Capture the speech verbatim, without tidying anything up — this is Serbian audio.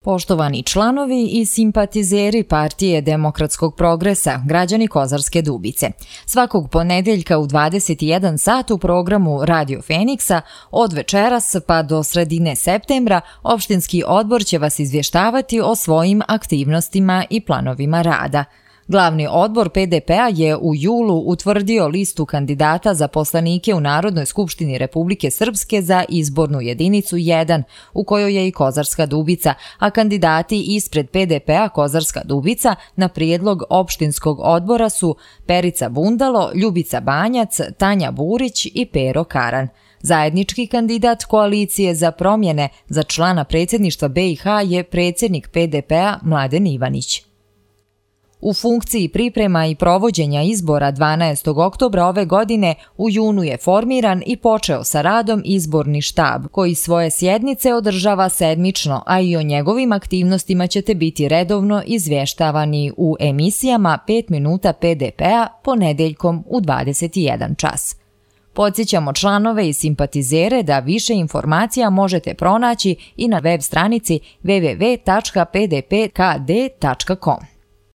Poštovani članovi i simpatizeri Partije demokratskog progresa, građani Kozarske Dubice. Svakog ponedeljka u dvadeset jedan sat u programu Radio Feniksa od večeras pa do sredine septembra opštinski odbor će vas izvještavati o svojim aktivnostima i planovima rada. Glavni odbor P D P-a je u julu utvrdio listu kandidata za poslanike u Narodnoj skupštini Republike Srpske za izbornu jedinicu jedan, u kojoj je i Kozarska Dubica, a kandidati ispred P D P-a Kozarska Dubica na prijedlog opštinskog odbora su Perica Bundalo, Ljubica Banjac, Tanja Burić i Pero Karan. Zajednički kandidat Koalicije za promjene za člana predsjedništva B i H je predsjednik P D P-a Mladen Ivanić. U funkciji priprema i provođenja izbora dvanaestog oktobra ove godine u junu je formiran i počeo sa radom izborni štab, koji svoje sjednice održava sedmično, a i o njegovim aktivnostima ćete biti redovno izvještavani u emisijama pet minuta P D P-a ponedeljkom u dvadeset jedan čas. Podsjećamo članove i simpatizere da više informacija možete pronaći i na web stranici w w w tačka p d p k d tačka com.